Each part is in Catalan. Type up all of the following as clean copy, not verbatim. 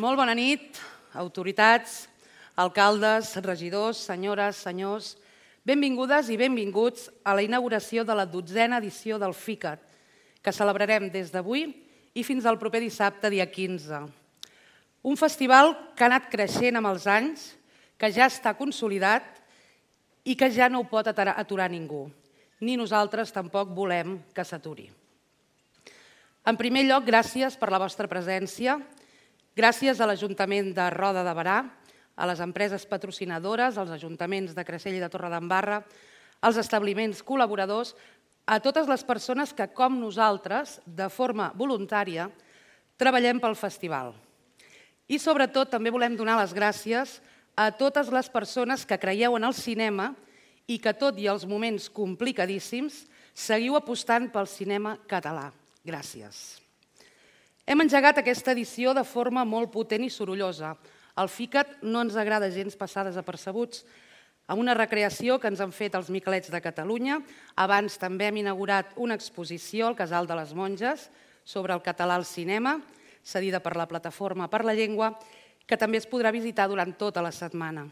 Molt bona nit, autoritats, alcaldes, regidors, senyores, senyors. Benvingudes i benvinguts a la inauguració de la 12a edició del FICAT, que celebrarem des d'avui i fins al proper dissabte, dia 15. Un festival que ha anat creixent amb els anys, que ja està consolidat i que ja no ho pot aturar ningú. Ni nosaltres tampoc volem que s'aturi. En primer lloc, gràcies per la vostra presència. Gràcies a l'Ajuntament de Roda de Berà, a les empreses patrocinadores, als ajuntaments de Creixell i de Torredembarra, als establiments col·laboradors, a totes les persones que, com nosaltres, de forma voluntària, treballem pel festival. I sobretot també volem donar les gràcies a totes les persones que creieu en el cinema i que, tot i els moments complicadíssims, seguiu apostant pel cinema català. Gràcies. Hem engegat aquesta edició de forma molt potent i sorollosa. Al FICAT no ens agrada gens passar desapercebuts, amb una recreació que ens han fet els Miquelets de Catalunya. Abans també hem inaugurat una exposició al Casal de les Monges sobre el català al cinema, cedida per la Plataforma per la Llengua, que també es podrà visitar durant tota la setmana.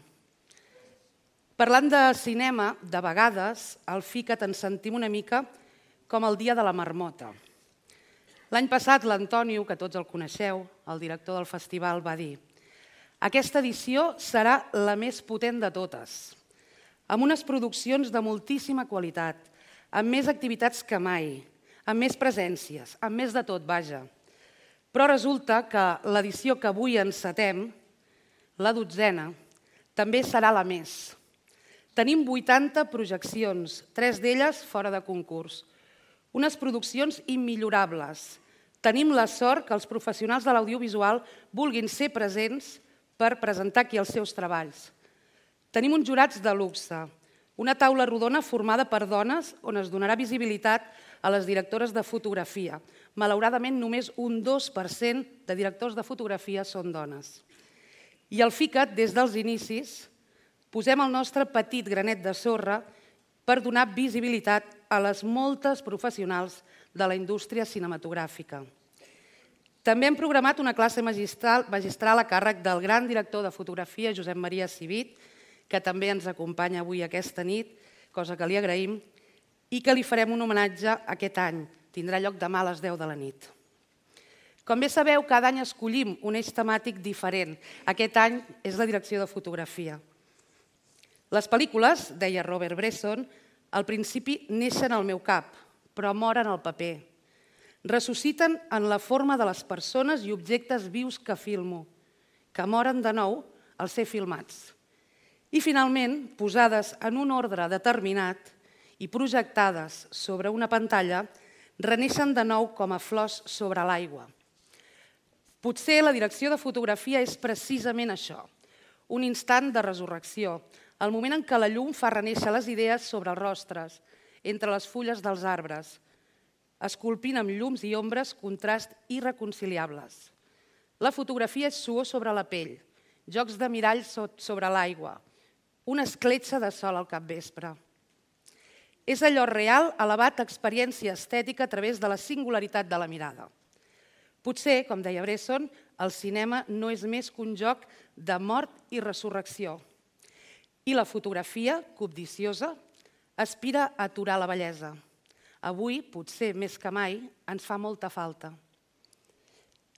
Parlant de cinema, de vegades, al FICAT ens sentim una mica com el dia de la marmota. L'any passat, l'Antonio, que tots el coneixeu, el director del festival, va dir: aquesta edició serà la més potent de totes, amb unes produccions de moltíssima qualitat, amb més activitats que mai, amb més presències, amb més de tot, vaja. Però resulta que l'edició que avui encetem, la 12a, també serà la més. Tenim 80 projeccions, 3 d'elles fora de concurs. Unes produccions immillorables. Tenim la sort que els professionals de l'audiovisual vulguin ser presents per presentar aquí els seus treballs. Tenim uns jurats de luxe, una taula rodona formada per dones on es donarà visibilitat a les directores de fotografia. Malauradament, només un 2% de directors de fotografia són dones. I al FICAT, des dels inicis, posem el nostre petit granet de sorra per donar visibilitat a les moltes professionals de la indústria cinematogràfica. També hem programat una classe magistral a càrrec del gran director de fotografia, Josep Maria Civit, que també ens acompanya avui aquesta nit, cosa que li agraïm, i que li farem un homenatge aquest any. Tindrà lloc demà a les 10 de la nit. Com bé sabeu, cada any escollim un eix temàtic diferent. Aquest any és la direcció de fotografia. Les pel·lícules, deia Robert Bresson, al principi neixen al meu cap, però moren al paper. Ressusciten en la forma de les persones i objectes vius que filmo, que moren de nou al ser filmats. I finalment, posades en un ordre determinat i projectades sobre una pantalla, reneixen de nou com a flors sobre l'aigua. Potser la direcció de fotografia és precisament això, un instant de resurrecció, el moment en què la llum fa renéixer les idees sobre els rostres, entre les fulles dels arbres, esculpint amb llums i ombres contrast irreconciliables. La fotografia és suor sobre la pell, jocs de miralls sobre l'aigua, una escletxa de sol al capvespre. És allò real elevat a experiència estètica a través de la singularitat de la mirada. Potser, com deia Bresson, el cinema no és més que un joc de mort i resurrecció. I la fotografia, cobdiciosa, aspira a aturar la bellesa. Avui, potser més que mai, ens fa molta falta.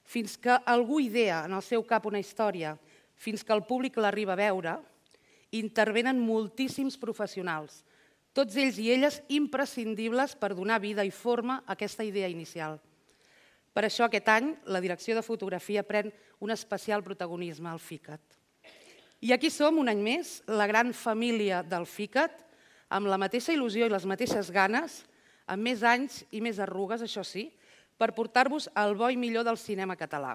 Fins que algú idea en el seu cap una història, fins que el públic l'arriba a veure, intervenen moltíssims professionals, tots ells i elles imprescindibles per donar vida i forma a aquesta idea inicial. Per això aquest any la direcció de fotografia pren un especial protagonisme al FICAT. I aquí som, un any més, la gran família del FICAT, amb la mateixa il·lusió i les mateixes ganes, amb més anys i més arrugues, això sí, per portar-vos el bo i millor del cinema català.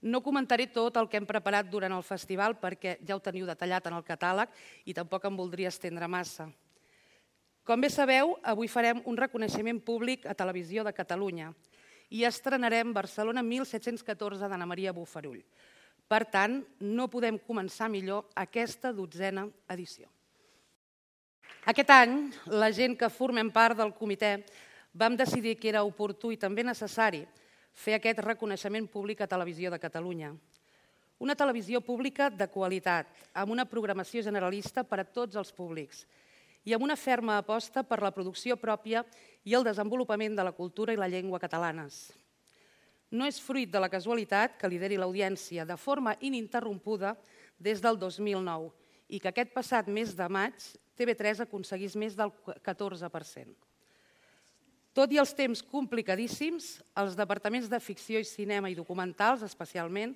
No comentaré tot el que hem preparat durant el festival perquè ja ho teniu detallat en el catàleg i tampoc em voldria estendre massa. Com bé sabeu, avui farem un reconeixement públic a Televisió de Catalunya i estrenarem Barcelona 1714 d'Anna Maria Bofarull. Per tant, no podem començar millor aquesta 12a edició. Aquest any, la gent que formem part del comitè vam decidir que era oportú i també necessari fer aquest reconeixement públic a Televisió de Catalunya. Una televisió pública de qualitat, amb una programació generalista per a tots els públics i amb una ferma aposta per la producció pròpia i el desenvolupament de la cultura i la llengua catalanes. No és fruit de la casualitat que lideri l'audiència de forma ininterrompuda des del 2009 i que aquest passat mes de maig TV3 aconseguís més del 14%. Tot i els temps complicadíssims, els departaments de ficció i cinema i documentals, especialment,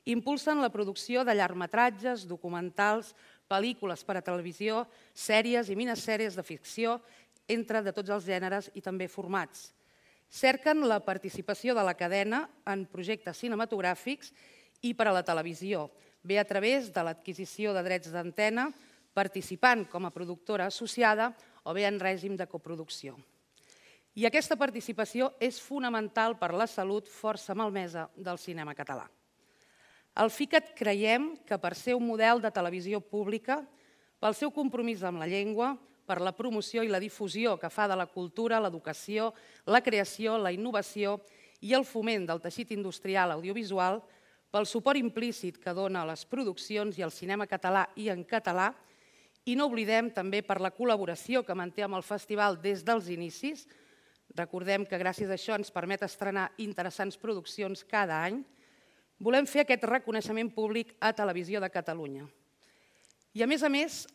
impulsen la producció de llargmetratges, documentals, pel·lícules per a televisió, sèries i minisèries de ficció, entre de tots els gèneres i també formats. Cerquen la participació de la cadena en projectes cinematogràfics i per a la televisió, bé a través de l'adquisició de drets d'antena, participant com a productora associada o bé en règim de coproducció. I aquesta participació és fonamental per la salut força malmesa del cinema català. Al FICAT creiem que per ser un model de televisió pública, pel seu compromís amb la llengua, per la promoció i la difusió que fa de la cultura, l'educació, la creació, la innovació i el foment del teixit industrial audiovisual, pel suport implícit que dona a les produccions i al cinema català i en català, i no oblidem també per la col·laboració que manté amb el festival des dels inicis. Recordem que gràcies a això ens permet estrenar interessants produccions cada any. Volem fer aquest reconeixement públic a Televisió de Catalunya. I a més,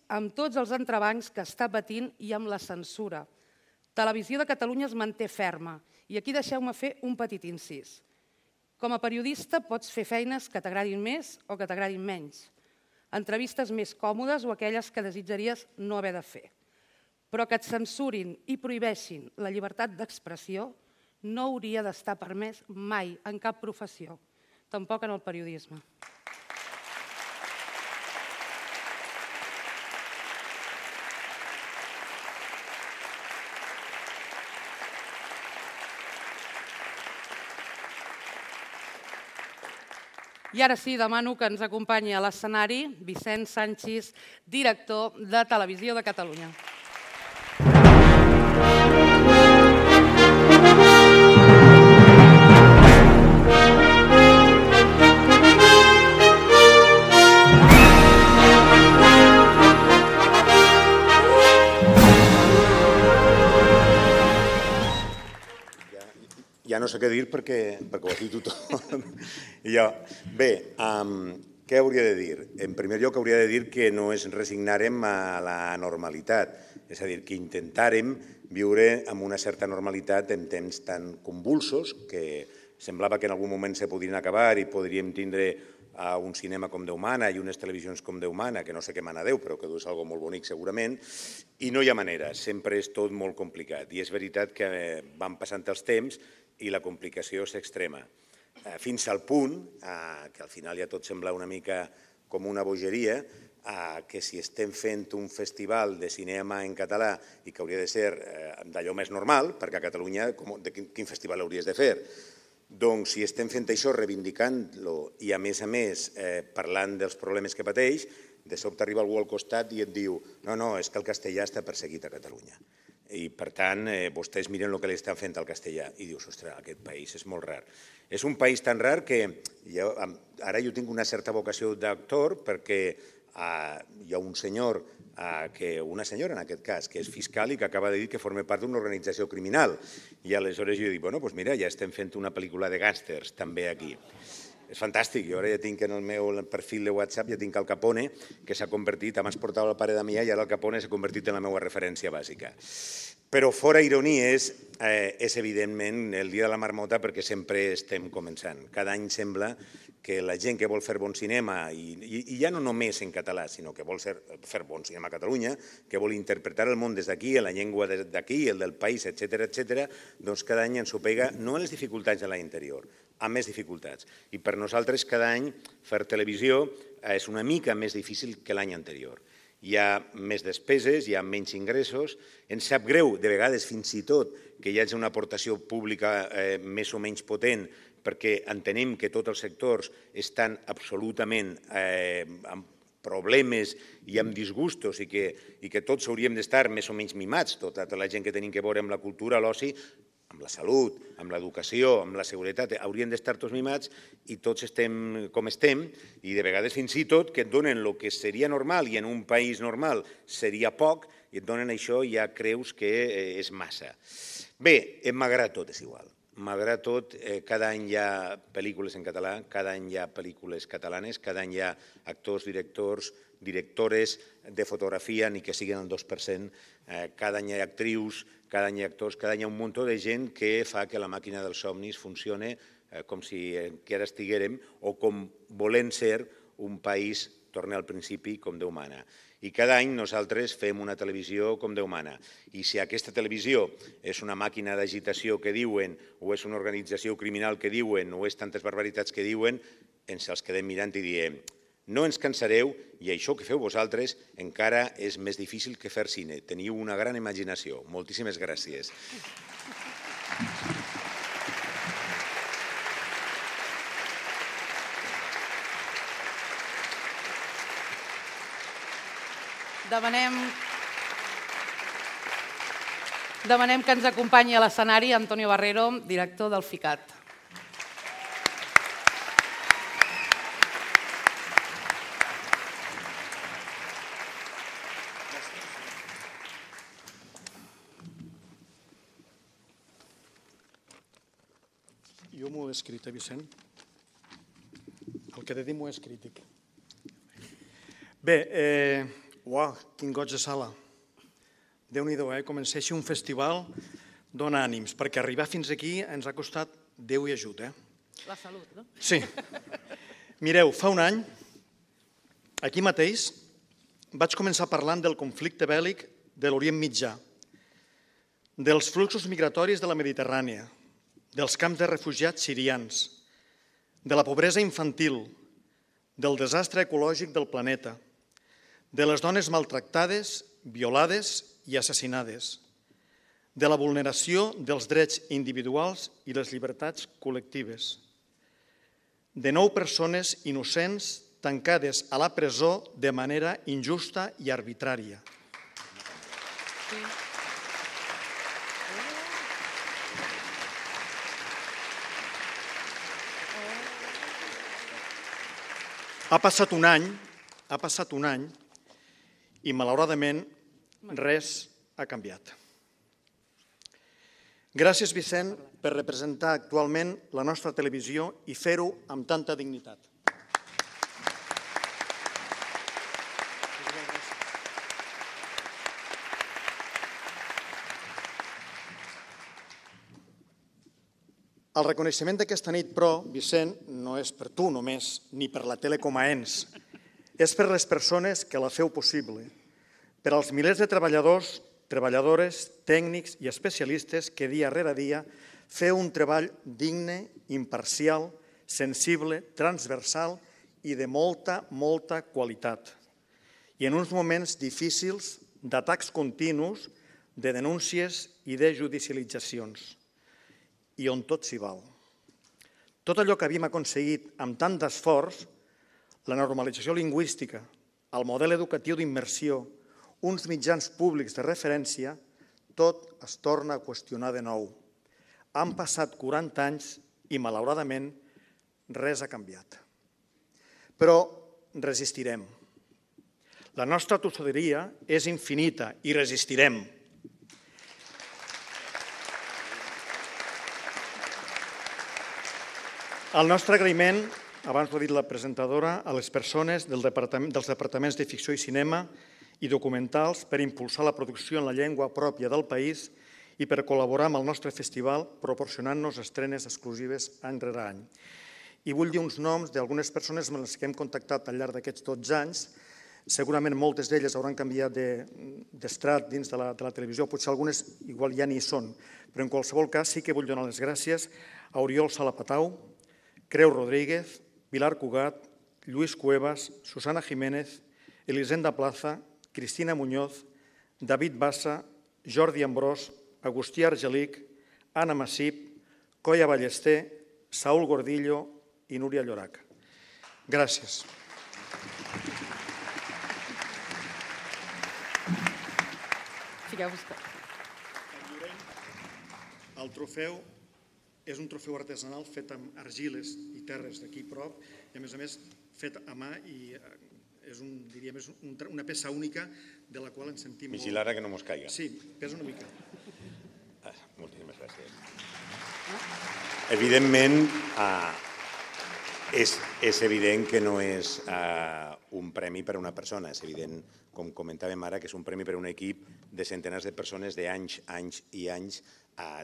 amb tots els entrebancs que està patint i amb la censura. Televisió de Catalunya es manté ferma i aquí deixeu-me fer un petit incís. Com a periodista pots fer feines que t'agradin més o que t'agradin menys, entrevistes més còmodes o aquelles que desitjaries no haver de fer. Però que et censurin i prohibeixin la llibertat d'expressió no hauria d'estar permès mai en cap professió, tampoc en el periodisme. I ara sí, demano que ens acompanyi a l'escenari Vicenç Sanchis, director de Televisió de Catalunya. Ja no sé què dir perquè ho ha dit tothom. Bé, què hauria de dir? En primer lloc, hauria de dir que no ens resignarem a la normalitat, és a dir, que intentàrem viure amb una certa normalitat en temps tan convulsos que semblava que en algun moment se podrien acabar i podríem tindre un cinema com Déu mana i unes televisions com Déu mana, que no sé què mana Déu, però que és una cosa molt bonic segurament, i no hi ha manera, sempre és tot molt complicat. I és veritat que van passant els temps i la complicació s'extrema, fins al punt que al final ja tot sembla una mica com una bogeria, que si estem fent un festival de cinema en català i que hauria de ser d'allò més normal, perquè a Catalunya quin festival hauries de fer? Doncs si estem fent això, reivindicant-lo i a més parlant dels problemes que pateix, de sobte arriba algú al costat i et diu no, és que el castellà està perseguit a Catalunya. I, per tant, vostès miren el que li estan fent al castellà i dius, ostres, aquest país és molt rar. És un país tan rar que ara jo tinc una certa vocació d'actor perquè hi ha un senyor, una senyora en aquest cas, que és fiscal i que acaba de dir que forma part d'una organització criminal. I aleshores jo dic, bueno, doncs mira, ja estem fent una pel·lícula de gàngsters també aquí. És fantàstic, jo ara ja tinc en el meu perfil de WhatsApp, ja tinc Al Capone, que s'ha convertit, abans portava el pare Damià i ara el Capone s'ha convertit en la meva referència bàsica. Però fora ironies, és evidentment el dia de la marmota perquè sempre estem començant. Cada any sembla que la gent que vol fer bon cinema, i ja no només en català, sinó que vol fer bon cinema a Catalunya, que vol interpretar el món des d'aquí, la llengua d'aquí, el del país, etcètera, doncs cada any ens ho pega, no en les dificultats de l'any anterior, amb més dificultats. I per nosaltres cada any fer televisió és una mica més difícil que l'any anterior. Hi ha més despeses, hi ha menys ingressos, ens sap greu, de vegades fins i tot, que hi hagi una aportació pública més o menys potent perquè entenem que tots els sectors estan absolutament amb problemes i amb disgustos i que tots hauríem d'estar més o menys mimats, tota la gent que tenim que veure amb la cultura, l'oci, amb la salut, amb l'educació, amb la seguretat, haurien d'estar tots mimats i tots estem com estem i de vegades fins i tot que et donen el que seria normal i en un país normal seria poc i et donen això i ja creus que és massa. Bé, malgrat tot és igual. Malgrat tot, cada any hi ha pel·lícules en català, cada any hi ha pel·lícules catalanes, cada any hi ha actors, directors, directores de fotografia, ni que siguin el 2%, cada any hi ha actrius, cada any hi ha actors, cada any hi ha un munt de gent que fa que la màquina dels somnis funcione com si encara estiguérem o com volent ser un país, torna al principi, com Déu mana. I cada any nosaltres fem una televisió com Déu mana. I si aquesta televisió és una màquina d'agitació que diuen, o és una organització criminal que diuen, o és tantes barbaritats que diuen, ens els quedem mirant i diem no ens cansareu i això que feu vosaltres encara és més difícil que fer cine. Teniu una gran imaginació. Moltíssimes gràcies. Demanem que ens acompanyi a l'escenari Antonio Barrero, director del FICAT. Jo m'ho he escrit, Vicent? El que he de dir m'ho he escrit. Bé, uau, quin goig de sala. Déu-n'hi-do, començar així un festival dona ànims, perquè arribar fins aquí ens ha costat Déu i ajut. La salut, no? Sí. Mireu, fa un any, aquí mateix, vaig començar parlant del conflicte bèl·lic de l'Orient Mitjà, dels fluxos migratoris de la Mediterrània, dels camps de refugiats sirians, de la pobresa infantil, del desastre ecològic del planeta, de les dones maltractades, violades i assassinades, de la vulneració dels drets individuals i les llibertats col·lectives, de 9 persones innocents tancades a la presó de manera injusta i arbitrària. Ha passat un any i malauradament res ha canviat. Gràcies, Vicent, per representar actualment la nostra televisió i fer-ho amb tanta dignitat. El reconeixement d'aquesta nit, però, Vicent, no és per tu només, ni per la tele com a ens. És per les persones que la feu possible, per als milers de treballadors, treballadores, tècnics i especialistes que dia rere dia feu un treball digne, imparcial, sensible, transversal i de molta, molta qualitat. I en uns moments difícils d'atacs continus, de denúncies i de judicialitzacions. I on tot s'hi val. Tot allò que havíem aconseguit amb tant d'esforç, la normalització lingüística, el model educatiu d'immersió, uns mitjans públics de referència, tot es torna a qüestionar de nou. Han passat 40 anys i, malauradament, res ha canviat. Però resistirem. La nostra tossuderia és infinita i resistirem. El nostre agraïment, abans ho ha dit la presentadora, a les persones dels departaments de ficció i cinema i documentals per impulsar la producció en la llengua pròpia del país i per col·laborar amb el nostre festival proporcionant-nos estrenes exclusives any rere any. I vull dir uns noms d'algunes persones amb les que hem contactat al llarg d'aquests 12 anys. Segurament moltes d'elles hauran canviat d'estrat dins de la televisió, potser algunes igual ja n'hi són, però en qualsevol cas sí que vull donar les gràcies a Oriol Salapatau, Creu Rodríguez, Pilar Cugat, Lluís Cuevas, Susana Jiménez, Elisenda Plaza, Cristina Muñoz, David Bassa, Jordi Ambrós, Agustí Argelic, Anna Massip, Coia Ballester, Saúl Gordillo i Núria Llorac. Gràcies. El trofeu és un trofeu artesanal fet amb argiles i terres d'aquí prop i, a més, fet a mà i és una peça única de la qual ens sentim molt... Vigilar que no mos caiga. Sí, pesa una mica. Moltíssimes gràcies. Evidentment, és evident que no és un premi per a una persona. És evident, com comentàvem ara, que és un premi per a un equip de centenars de persones d'anys, anys i anys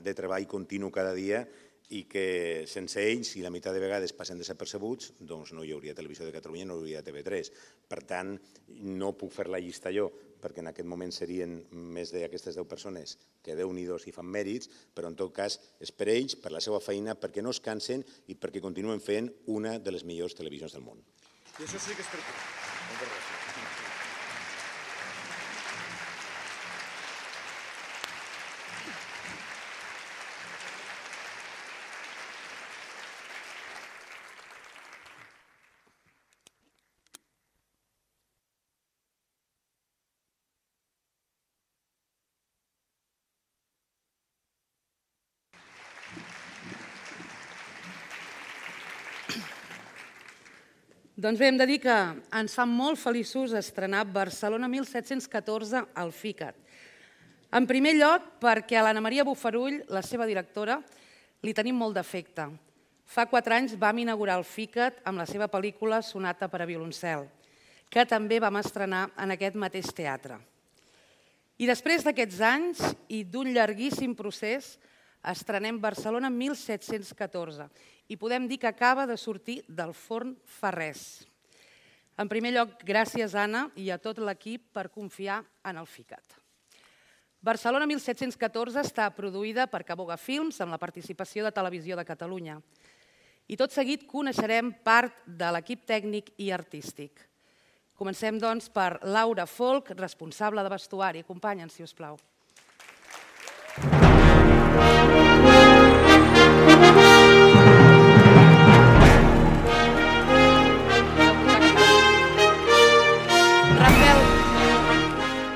de treball continu cada dia i que sense ells, i la meitat de vegades passen desapercebuts, doncs no hi hauria Televisió de Catalunya, no hi hauria TV3. Per tant, no puc fer la llista jo, perquè en aquest moment serien més d'aquestes 10 persones que Déu-n'hi-do si fan mèrits, però en tot cas és per ells, per la seva feina, perquè no es cansen i perquè continuen fent una de les millors televisions del món. I això sí que és per tu. Moltes gràcies. Doncs bé, hem de dir que ens fa molt feliços estrenar Barcelona 1714 al FICAT. En primer lloc, perquè a l'Anna Maria Bofarull, la seva directora, li tenim molt d'afecte. Fa 4 anys vam inaugurar el FICAT amb la seva pel·lícula Sonata per a violoncel, que també vam estrenar en aquest mateix teatre. I després d'aquests anys i d'un llarguíssim procés, estrenem Barcelona 1714 i podem dir que acaba de sortir del forn fa res. En primer lloc, gràcies, Anna, i a tot l'equip per confiar en el FICAT. Barcelona 1714 està produïda per Caboga Films amb la participació de Televisió de Catalunya. I tot seguit coneixerem part de l'equip tècnic i artístic. Comencem, doncs, per Laura Folk, responsable de vestuari. Acompanya'ns, si us plau.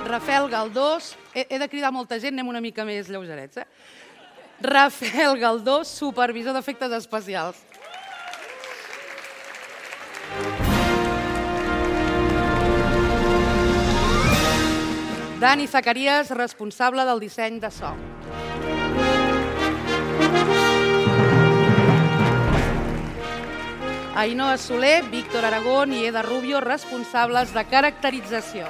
Rafael Galdós, he de cridar molta gent, anem una mica més lleugerets. Rafael Galdós, supervisor d'efectes especials. Dani Zacarías, responsable del disseny de so. Ainhoa Soler, Víctor Aragón i Eda Rubio, responsables de caracterització.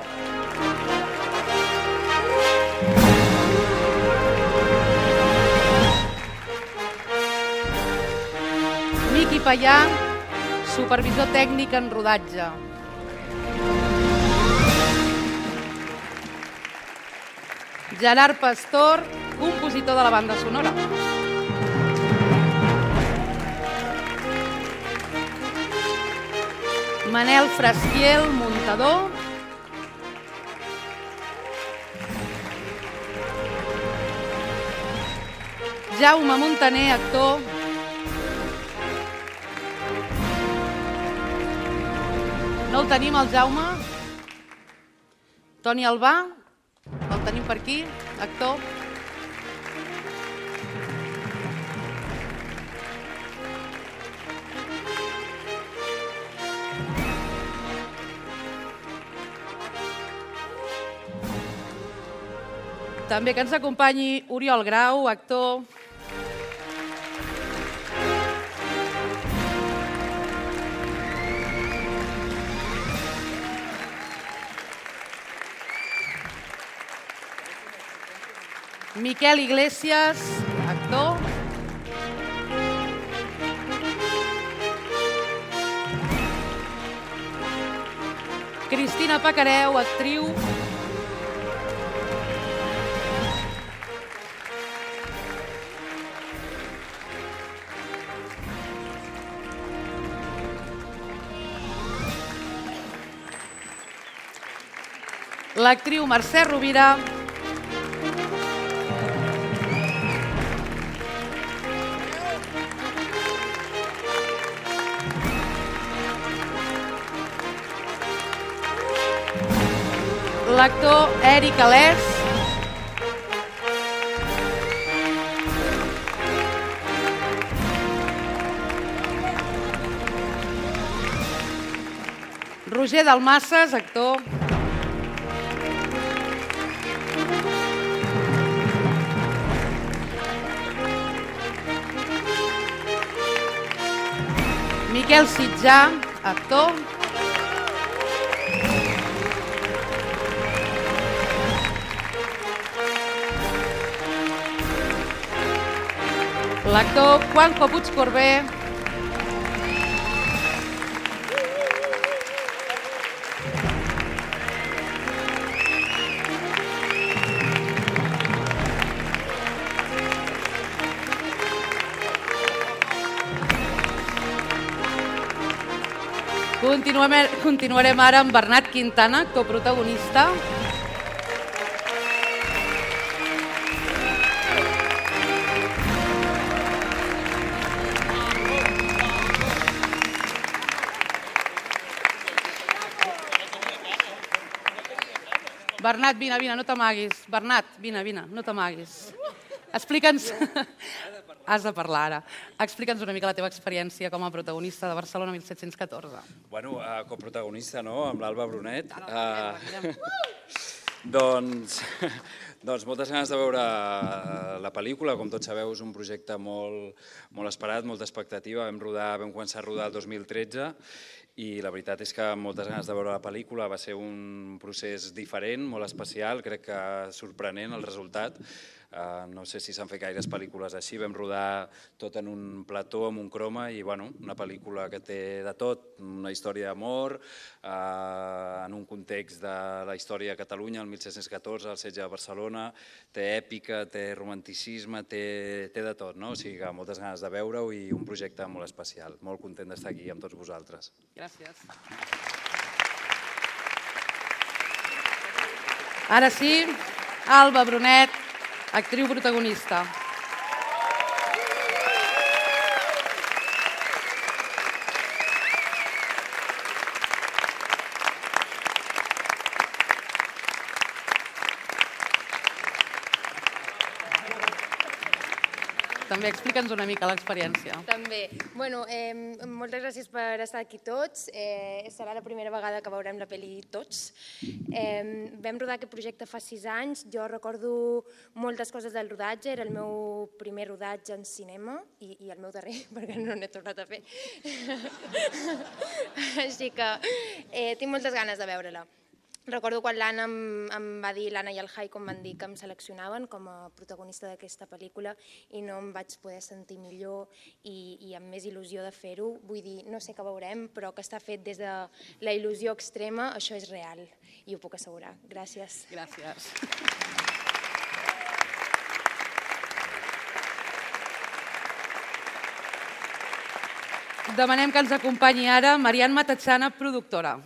Miqui Payà, supervisor tècnic en rodatge. Gerard Pastor, compositor de la banda sonora. Manel Frasquiel, muntador. Jaume Montaner, actor. No el tenim, el Jaume? Toni Albà, el tenim per aquí, actor. També que ens acompanyi Oriol Grau, actor. Miquel Iglesias, actor. Cristina Pacareu, actriu. L'actriu Mercè Rovira. L'actor Eric Alès. Roger Dalmases, actor. Miquel Sitjà, actor. L'actor Juanjo Puigcorbé. Continuarem ara amb Bernat Quintana, actor protagonista. Bernat, vine, no t'amaguis. Bernat, vine, no t'amaguis. Explica'ns... Has de parlar ara. Explica'ns una mica la teva experiència com a protagonista de Barcelona 1714. Bueno, coprotagonista, no?, amb l'Alba Brunet. Doncs moltes ganes de veure la pel·lícula. Com tots sabeu, és un projecte molt esperat, molta expectativa. Vam començar a rodar el 2013 i la veritat és que moltes ganes de veure la pel·lícula. Va ser un procés diferent, molt especial, crec que sorprenent el resultat. No sé si s'han fet gaires pel·lícules així. Vam rodar tot en un plató, amb un croma, i una pel·lícula que té de tot, una història d'amor, en un context de la història de Catalunya, el 1714, el setge de Barcelona, té èpica, té romanticisme, té de tot, no? O sigui que moltes ganes de veure-ho i un projecte molt especial. Molt content d'estar aquí amb tots vosaltres. Gràcies. Ara sí, Alba Brunet, actriu protagonista. També explica'ns una mica l'experiència. També. Bueno, moltes gràcies per estar aquí tots. Serà la primera vegada que veurem la pel·li tots. Vam rodar aquest projecte fa 6 anys. Jo recordo moltes coses del rodatge. Era el meu primer rodatge en cinema i el meu darrer, perquè no n'he tornat a fer. Així que tinc moltes ganes de veure-la. Recordo quan l'Anna em va dir, l'Anna i el Jaiko em van dir que em seleccionaven com a protagonista d'aquesta pel·lícula i no em vaig poder sentir millor i amb més il·lusió de fer-ho. Vull dir, no sé què veurem, però que està fet des de la il·lusió extrema, això és real i ho puc assegurar. Gràcies. Gràcies. Demanem que ens acompanyi ara Marian Matatzana, productora.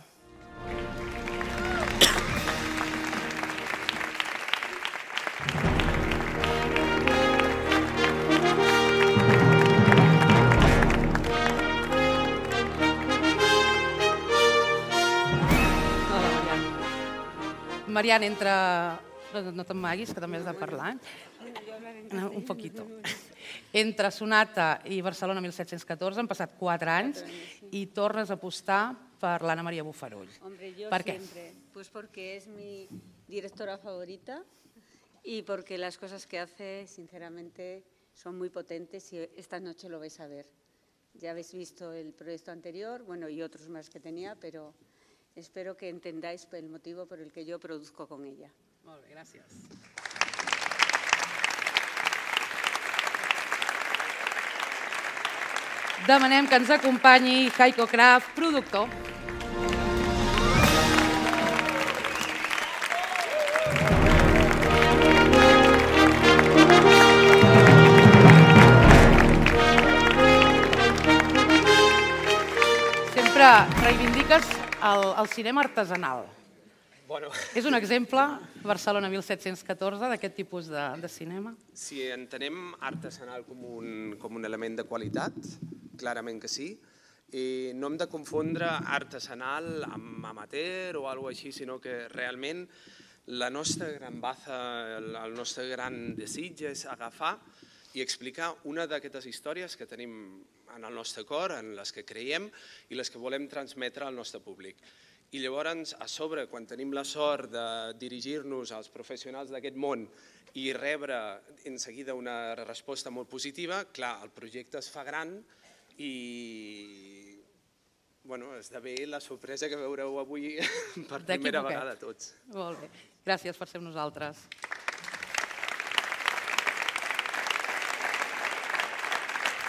Marian, entre... No t'amaguis, que també has de parlar. Un poquito. Entre Sonata i Barcelona 1714 han passat 4 anys i tornes a apostar per l'Anna Maria Bofarull. ¿Por qué? Pues porque es mi directora favorita y porque las cosas que hace, sinceramente, son muy potentes y esta noche lo vais a ver. Ya habéis visto el proyecto anterior, bueno, y otros más que tenía, pero espero que entendáis el motivo por el que yo produzco con ella. Molt bé, gràcies. Demanem que ens acompanyi Jaiko Kraft, productor. Sempre reivindiques el cinema artesanal. És un exemple, Barcelona 1714, d'aquest tipus de cinema? Si entenem artesanal com un element de qualitat, clarament que sí. No hem de confondre artesanal amb amateur o alguna cosa així, sinó que realment la nostra gran baza, el nostre gran desig és agafar i explicar una d'aquestes històries que tenim en el nostre cor, en les que creiem i les que volem transmetre al nostre públic. I llavors, a sobre, quan tenim la sort de dirigir-nos als professionals d'aquest món i rebre en seguida una resposta molt positiva, clar, el projecte es fa gran i esdevé la sorpresa que veureu avui per primera vegada tots. Molt bé, gràcies per ser amb nosaltres.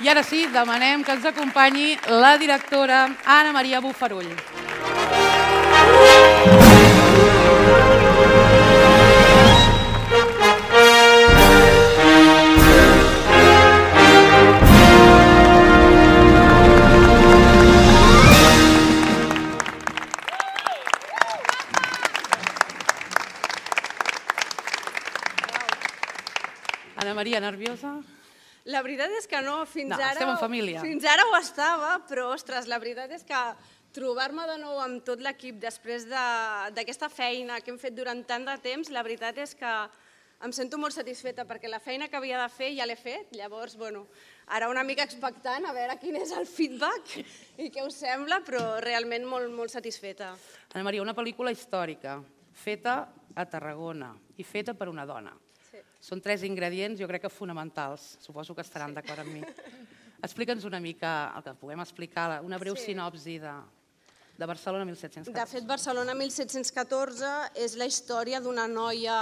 I ara sí, demanem que ens acompanyi la directora Anna Maria Bofarull. Anna Maria, nerviosa? La veritat és que no, fins No, ara... estem en família. Fins ara ho estava, però, ostres, la veritat és que trobar-me de nou amb tot l'equip després d'aquesta feina que hem fet durant tant de temps, la veritat és que em sento molt satisfeta perquè la feina que havia de fer ja l'he fet, llavors, ara una mica expectant a veure quin és el feedback i què us sembla, però realment molt, molt satisfeta. Anna Maria, una pel·lícula històrica, feta a Tarragona i feta per una dona. Són 3 ingredients, jo crec que fonamentals. Suposo que estaran d'acord amb mi. Explica'ns una mica, el que puguem explicar, una breu sinopsi de Barcelona 1714. De fet, Barcelona 1714 és la història d'una noia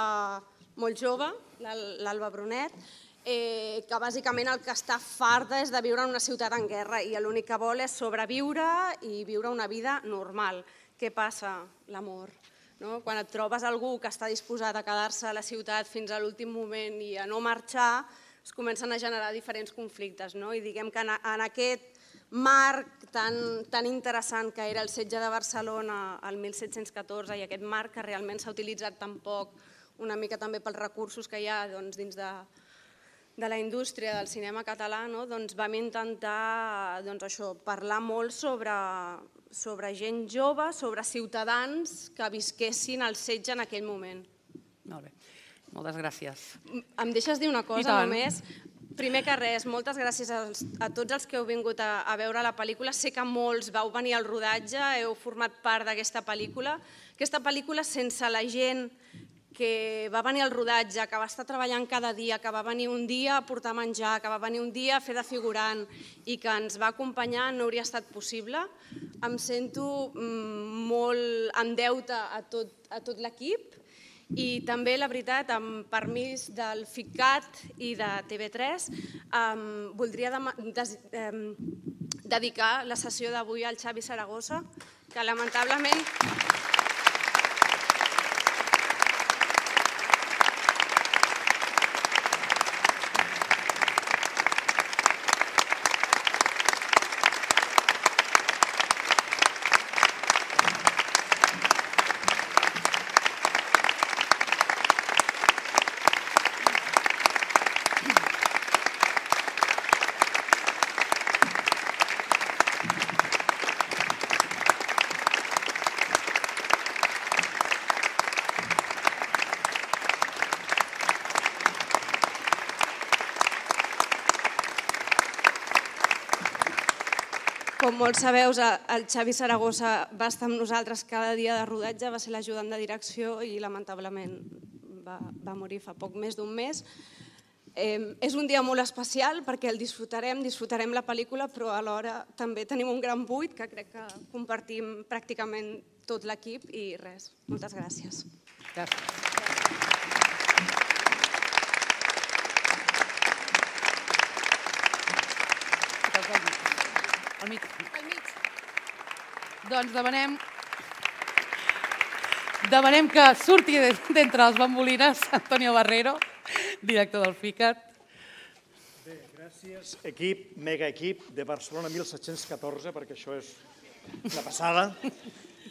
molt jove, l'Alba Brunet, que bàsicament el que està farta és de viure en una ciutat en guerra i l'únic que vol és sobreviure i viure una vida normal. Què passa? L'amor. Quan et trobes algú que està disposat a quedar-se a la ciutat fins a l'últim moment i a no marxar, es comencen a generar diferents conflictes. I diguem que en aquest marc tan interessant que era el setge de Barcelona el 1714 i aquest marc que realment s'ha utilitzat tan poc, una mica també pels recursos que hi ha dins de la indústria del cinema català, vam intentar parlar molt sobre gent jove, sobre ciutadans que visquessin el setge en aquell moment. Molt bé, moltes gràcies. Em deixes dir una cosa només? Primer que res, moltes gràcies a tots els que heu vingut a veure la pel·lícula. Sé que molts vau venir al rodatge, heu format part d'aquesta pel·lícula. Aquesta pel·lícula, sense la gent que va venir al rodatge, que va estar treballant cada dia, que va venir un dia a portar menjar, que va venir un dia a fer de figurant i que ens va acompanyar, no hauria estat possible. Em sento molt en deute a tot l'equip i també, la veritat, amb permís del FICCAT i de TV3, voldria dedicar la sessió d'avui al Xavi Saragossa, que lamentablement... Com molts sabeu, el Xavi Saragossa va estar amb nosaltres cada dia de rodatge, va ser l'ajudant de direcció i lamentablement va morir fa poc més d'un mes. És un dia molt especial perquè el disfrutarem la pel·lícula, però alhora també tenim un gran buit que crec que compartim pràcticament tot l'equip i res, moltes gràcies. Gràcies. Al mig. Doncs demanem que surti d'entre les bambolines Antonio Barrero, director del FICCAT. Bé, gràcies, equip, mega equip de Barcelona 1714, perquè això és una passada,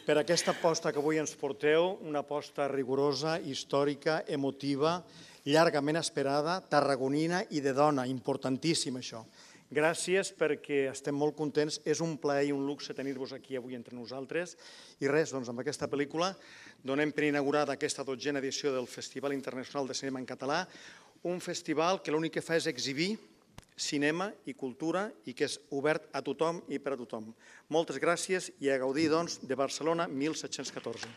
per aquesta aposta que avui ens porteu, una aposta rigorosa, històrica, emotiva, llargament esperada, tarragonina i de dona, importantíssim això. Gràcies perquè estem molt contents, és un plaer i un luxe tenir-vos aquí avui entre nosaltres i res, doncs amb aquesta pel·lícula donem per inaugurada aquesta 12a edició del Festival Internacional de Cinema en Català, un festival que l'únic que fa és exhibir cinema i cultura i que és obert a tothom i per a tothom. Moltes gràcies i a gaudir, doncs, de Barcelona 1714.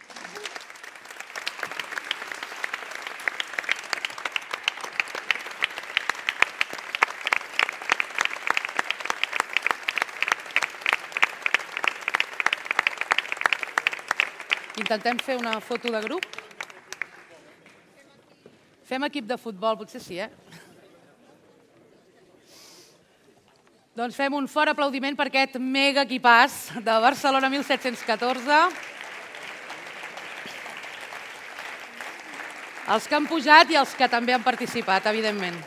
Intentem fer una foto de grup. Fem equip de futbol, potser sí, Doncs fem un fort aplaudiment per aquest mega equipàs de Barcelona 1714. Els que han pujat i els que també han participat, evidentment.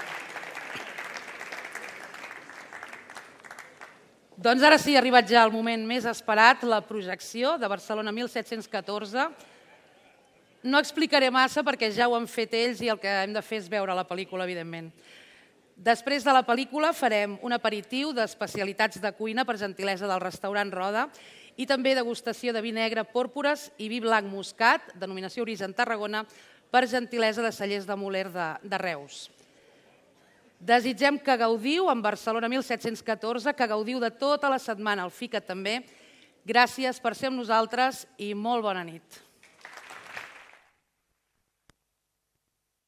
Doncs ara sí, ha arribat ja el moment més esperat, la projecció de Barcelona 1714. No explicaré massa perquè ja ho han fet ells i el que hem de fer és veure la pel·lícula, evidentment. Després de la pel·lícula farem un aperitiu d'especialitats de cuina per gentilesa del restaurant Roda i també degustació de vi negre Pòrpores i vi blanc Moscat, denominació origen Tarragona, per gentilesa de Cellers de Moler de Reus. Desitgem que gaudiu en Barcelona 1714, que gaudiu de tota la setmana, el FICAT també. Gràcies per ser amb nosaltres i molt bona nit.